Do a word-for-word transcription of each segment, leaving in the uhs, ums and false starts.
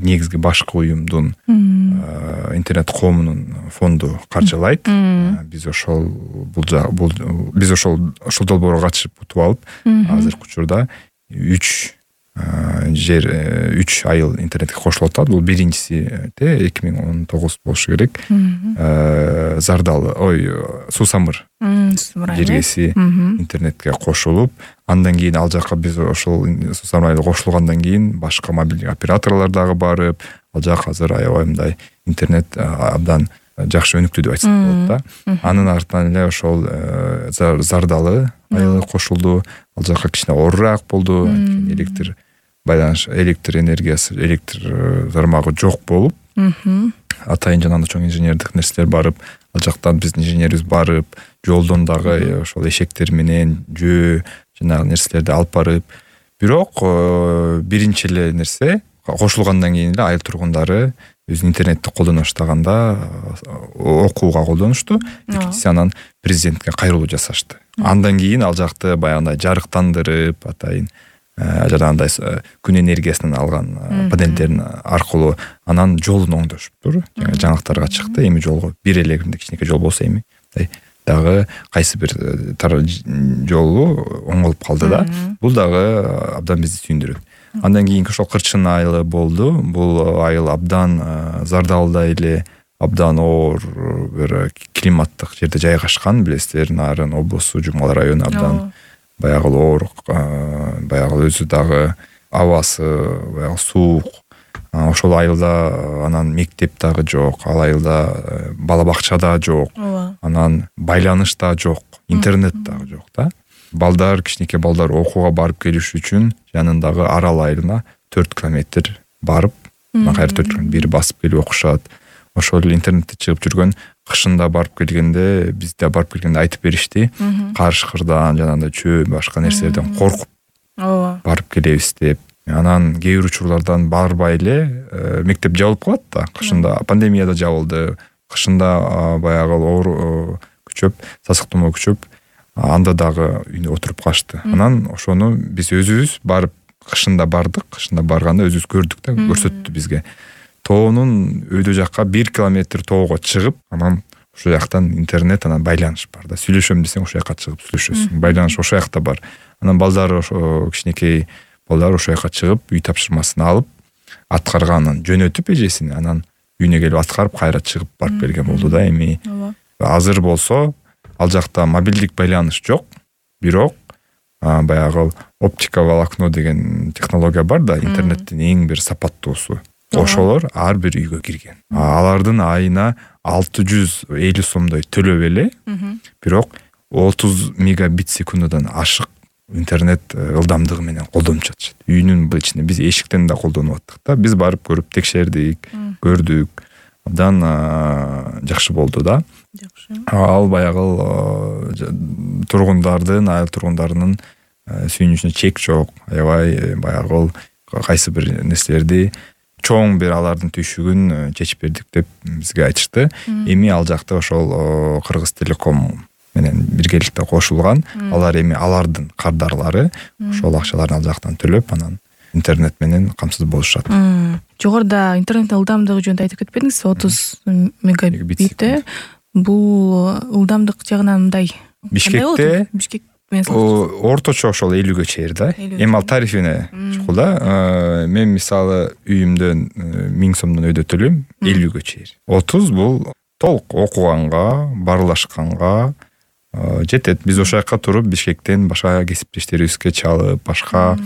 негизги башкы уюмдун интернет коомунун фонду каржылайт. Биз ошол бул биз ошол ошол долбоорго катышып утуп алып, азыркы учурда үч жер үч айыл интернетке кошулуп атат. Бул биринчиси эки миң он тогуз болушу керек. Зардалы, ой, Суу Самыр жергеси интернетке кошулуп, андан кийин ал жака биз ошол Суу Самыр айылы кошулгандан кийин башка мобилдик операторлор дагы барып, ал жак азыр аябай мындай интернет абдан жакшы өнүктү деп айтсак болот да. Анын артынан эле ошол Зардалы айылы кошулду. Ал жака кичине оорураак болду. Электр байланыш, электр энергиясы, электр тармагы жок болуп, атайын жанагы чоң инженердик нерселер барып, ал жактан биздин инженерибиз барып, жолдон дагы ошол эшектер менен жөө жанагы нерселерди алып барып, бирок биринчи эле нерсе кошулгандан кийин эле айыл тургундары өзүнүн интернетти колдоно баштаганда окууга колдонушту. Экинчиси анан президентке кайрылуу жасашты. Андан кийин ал жакты баягындай жарыктандырып, атайын жанагындай күн энергиясынан алган панелдерин аркылуу анан жолун оңдошуптур. Жаңылыктарга чыкты. Эми жолго бир эле кичинекей жол болсо эми дагы кайсы бир жолу оңолуп калды да. Бул дагы абдан бизди сүйүндүрөт. Андан кийинки ошол Кырчын айылы болду. Бул айыл абдан Зардалда эле абдан оор бир климаттык жерде жайгашкан. Билесиздер, Нарын облусу, Жумгал району абдан баягы оор, баягы өзү дагы абасы баягы суук. Ошол айылда анан мектеп дагы жок, ал айылда бала бакча да жок, анан байланыш да жок, интернет дагы жок да. Балдар, кичинекей балдар окууга барып келиш үчүн жанындагы Арал айылына төрт километр барып, кайра төрт километр бир басып келип окушат. Ошол интернетте чыгып жүргөн кышында барып келгенде, бизде барып келгенде айтып беришти. Карышкырдан, жанагындай чөө, башка нерселерден коркуп барып келебиз деп. Анан кээ бир учурлардан барбай эле мектеп жабылып калат да. Кышында пандемияда жабылды. Кышында баягы оор күчөп, сасык тумоо күчөп, анда дагы үйдө отуруп калышты. Анан ошону биз өзүбүз барып кышында бардык. Кышында барганда өзүбүз көрдүк да, көрсөттү бизге. Тоонун өйдө жакка бир километр тоого чыгып, анан ошол жактан интернет, анан байланыш бар да. Сүйлөшөм десең ошол жакка чыгып сүйлөшөсүң. Байланыш ошол жакта бар. Анан балдар ошо кичинекей балдар ошол жакка чыгып, үй тапшырмасын алып, аткарганын жөнөтүп эжесин, анан үйүнө келип аткарып, кайра чыгып барып берген болду да. Эми азыр болсо ал жакта мобилдик байланыш жок, бирок баягы оптика волокно деген технология бар да, интернеттин эң бир сапаттуусу. Ошолор ар бир үйгө кирген. Алардын айына алты жүз элүү сомдой төлөп эле, бирок отуз мегабит секундадан ашык интернет ылдамдыгы менен колдонуп жатышат. Үйүнүн ичинде биз эшиктен да колдонуп аттык да. Биз барып көрүп текшердик, көрдүк. Абдан жакшы болду да. Жакшы. Ал баягы тургундардын, айыл тургундарынын сүйүнүчүнө чек жок. Аябай баягы кайсы бир нерселерди чоң бир алардын түйшүгүн чечип бердик деп бизге айтышты. Эми ал жакта ошол Кыргыз Телеком менен биргеликте кошулган. Алар эми алардын кардарлары ошол акчаларын ал жактан төлөп, анан интернет менен камсыз болушат. Жогоруда интернеттин ылдамдыгы жөнүндө айтып кетпедиңизби? отуз мегабит. Бул ылдамдык жагынан мындай. Бишкекте Бишкек орточо ошол элүүгө чейин да. Эми ал тарифине чыкты да. Мен мисалы үйүмдөн миң сомдон өйдө төлөйм, элүүгө чейин. отуз бул толук окуганга, барлашканга жетет. Биз ошол жакка туруп Бишкектен башка кесиптештерибизге чалып, башка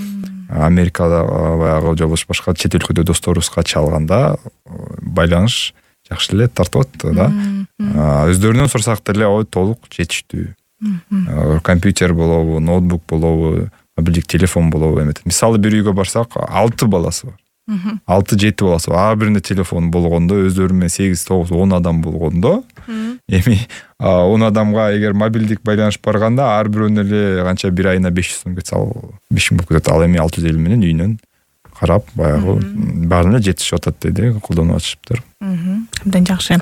Америкада баягы жобош башка чет өлкөдө досторубузга чалганда байланыш жакшы эле тартып атты да. Өздөрүнөн сурасак деле ой толук жетиштүү. Компьютер болобу, ноутбук болобу, мобилдик телефон болобу эметет. Мисалы бир үйгө барсак алты баласы бар. алты жети баласы бар. Ар биринде телефон болгондо, өздөрү менен сегиз тогуз он адам болгондо, эми он адамга эгер мобилдик байланыш барганда ар бирөөнө эле канча бир айына беш жүз сом кетсе, ал беш миң болуп кетет. Ал эми алты жүз элүү менен үйүнөн карап баягы баарына жетишип атат деди, колдонуп атышыптыр. Абдан жакшы.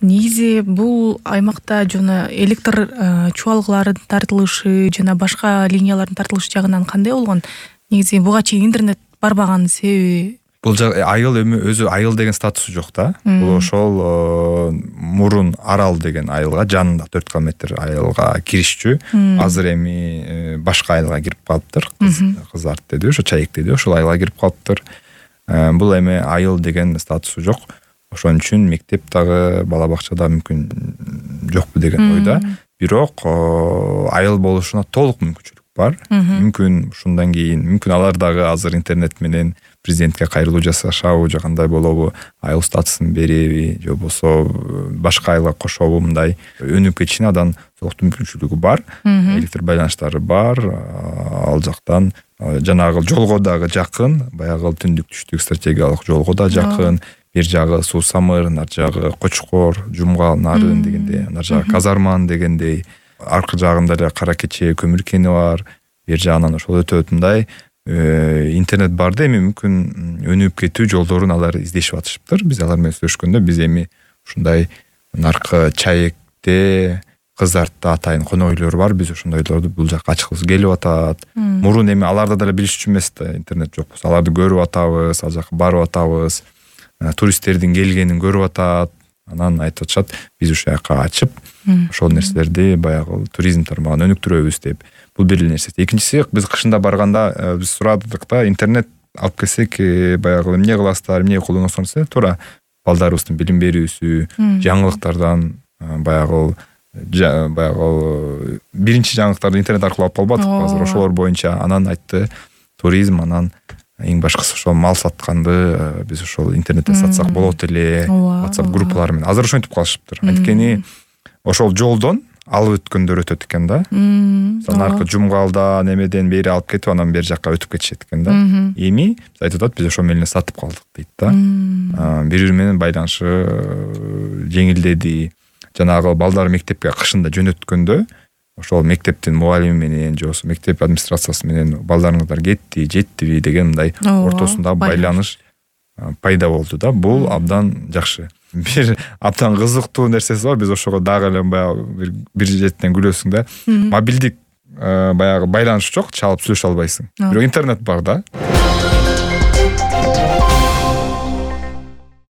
Негизи бул аймакта жана электр чубалгыларын тартылышы жана башка линиялардын тартылышы жагынан кандай болгон? Негизи буга чейин интернет барбаганын себеби бул айыл эми өзү айыл деген статусу жок да. Бул ошол мурун арал деген айылга, жанында төрт километр айылга киришчү. Азыр эми башка айылга кирип калыптыр. Кыз арт деди, ошо Чайек деди, ошол айылга кирип калыптыр. Бул эми айыл деген статусу жок. Ошон үчүн мектеп дагы, бала бакча да мүмкүн жокпу деген ойда. Бирок айыл болушуна толук мүмкүнчүлүк бар. Мүмкүн ушундан кийин, мүмкүн алар дагы азыр интернет менен президентке кайрылуу жасашабы, же кандай болобу, айыл статусун береби, же болбосо башка айылга кошобу, мындай өнүгүп кетишине адан толуктуу мүмкүнчүлүгү бар. Электр байланыштары бар. Ал жактан жанагы жолго дагы жакын, баягы түндүк түштүк стратегиялык жолго да жакын. Бир жагы Суу Самыр, нар жагы Кочкор, Жумгал, Нарын дегендей, нар жагы Казарман дегендей, аркы жагында эле Кара Кече көмүр кени бар. Бир жагынан ошол өтө өтүндай интернет бар да, эми мүмкүн өнүгүп кетүү жолдорун алар издешип атышыптыр. Биз алар менен сүйлөшкөндө биз эми ушундай наркы Чайекте, Кызартта атайын конок үйлөр бар. Биз ошондойлорду бул жакка ачкыбыз келип атат. Мурун эми аларда деле билишчү эмес да, интернет жок болсо. Аларды көрүп атабыз, ал жака барып атабыз. Туристтердин келгенин көрүп атат. Анан айтып атышат, биз ушул жака ачып, ошол нерселерди баягы туризм тармагын өнүктүрөбүз деп. Бул бир нерсе. Экинчиси, биз кышында барганда биз сурадык да, интернет алып келсек, баягы эмне кыласыздар, эмне колдоносуңар десе, туура балдарыбыздын билим берүүсү, жаңылыктардан баягы баягы биринчи жаңылыктарды интернет аркылуу алып калбадыкпы азыр, ошолор боюнча. Анан айтты, туризм, анан эң башкысы ошол мал сатканды биз ошол интернеттен сатсак болот эле, WhatsApp группалары менен. Азыр ошентип калышыптыр. Анткени ошол жолдон алып өткөндөр өтөт экен да. Мисалы аркы Жумгалда немеден бери алып кетип, анан бер жакка өтүп кетишет экен да. Эми биз айтып атат, биз ошол менен сатып калдык дейт да. Бири-бири менен байланышы жеңилдеди. Жанагы балдар мектепке кышында жөнөткөндө ошол мектептин мугалими менен, же болбосо мектеп администрациясы менен балдарыңыздар кетти, жеттиби деген мындай ортосунда байланыш пайда болду да. Бул абдан жакшы. Бир абдан кызыктуу нерсеси бар. Биз ошого дагы эле баягы бир жетинен күлөсүң да. Мобилдик баягы байланыш жок, чалып сүйлөшө албайсың. Бирок интернет бар да.